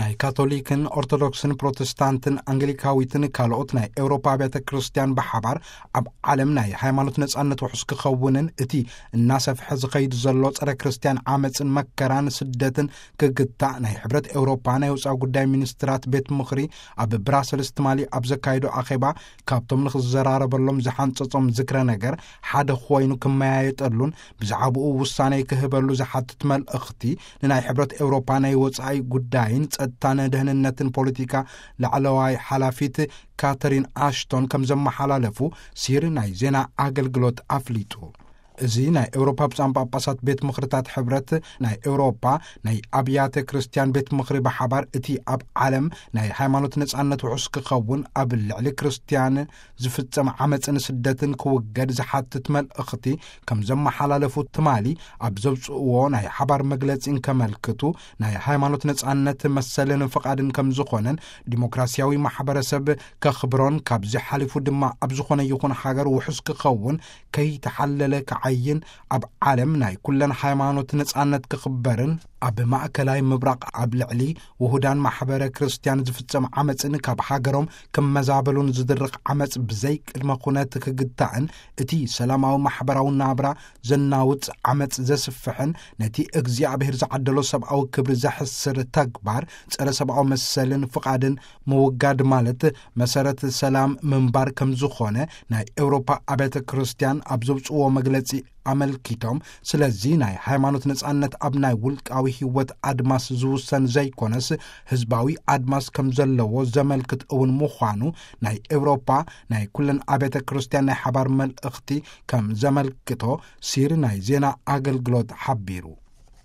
ናይ ካቶሊክን ኦርቶዶክስን ፕሮቴስታንትን ኣንግሊካዊትን ካልኦት ናይ ኤውሮፓ ኣብያተ ክርስቲያን ብሓባር ኣብ ዓለም ናይ ሃይማኖት ነጻነት ውሑስ ክኸውንን እቲ እናሰፍሐ ዝኸይድ ዘሎ ጸረ ክርስቲያን ዓመጽን መከራን ስደትን ክግታእ ናይ ሕብረት ኤውሮፓ ናይ ወጻኢ ጉዳይ ሚኒስትራት ቤት ምኽሪ ኣብ ብራሰልስ ትማሊ ኣብ ዘካየዶ ኣኼባ ካብቶም ንኽዘራረበሎም ዝሓንጸጾም ዝክረ ነገር ሓደ ኮይኑ ክመያየጠሉን ብዛዕባኡ ውሳኔ ክህበሉ ዝሓትት መልእኽቲ ንናይ ሕብረት ኤውሮፓ ናይ ወጻኢ ጉዳይን ጸጥታን ደህንነትን ፖለቲካ ላዕለዋይ ሓላፊት ካተሪን ኣሽቶን ከም ዘመሓላለፉ ሲር ናይ ዜና ኣገልግሎት ኣፍሊጡ። እዚ ናይ ኤውሮፓ ብጻን ጳጳሳት ቤት ምኽርታት ሕብረት ናይ ኤውሮፓ ናይ ኣብያተ ክርስቲያን ቤት ምኽሪ ብሓባር እቲ ኣብ ዓለም ናይ ሃይማኖት ነጻነት ውሑስ ክኸውን ኣብ ልዕሊ ክርስቲያን ዝፍጸም ዓመጽን ስደትን ክውገድ ዝሓትት መልእኽቲ ከም ዘመሓላለፉ ትማሊ ኣብ ዘውጽእዎ ናይ ሓባር መግለጺ እንከመልክቱ ናይ ሃይማኖት ነጻነት መሰልን ፍቓድን ከም ዝኾነን ዲሞክራሲያዊ ማሕበረሰብ ከኽብሮን ካብዚ ሓሊፉ ድማ ኣብ ዝኾነ ይኹን ሃገር ውሑስ ክኸውን ከይተሓለለ ክዓይን ኣብ ዓለም ናይ ኩለን ሃይማኖት ነጻነት ክኽበርን ኣብ ማእከላይ ምብራቕ ኣብ ልዕሊ ውሁዳን ማሕበረ ክርስቲያን ዝፍጸም ዓመጽን ካብ ሃገሮም ክመዛበሉን ዝድርኽ ዓመጽ ብዘይ ቅድመ ኩነት ክግታእን እቲ ሰላማዊ ማሕበራዊ ናብራ ዘናውጽ ዓመጽ ዘስፍሕን ነቲ እግዚኣብሔር ዝዓደሎ ሰብኣዊ ክብሪ ዘሕስር ተግባር ጸረ ሰብኣዊ መሰልን ፍቓድን ምውጋድ ማለት መሰረት ሰላም ምንባር ከም ዝኾነ ናይ ኤውሮፓ ኣብያተ ክርስቲያን ኣብ ዘውጽእዎ መግለጺ ኣመልኪቶም፣ ስለዚ ናይ ሃይማኖት ነጻነት ኣብ ናይ ውልቃዊ ህይወት ኣድማስ ዝውሰን ዘይኮነስ ህዝባዊ ኣድማስ ከም ዘለዎ ዘመልክት እውን ምዃኑ ናይ ኤውሮፓ ናይ ኩለን ኣብያተ ክርስቲያን ናይ ሓባር መልእኽቲ ከም ዘመልክቶ ሲር ናይ ዜና ኣገልግሎት ሓቢሩ።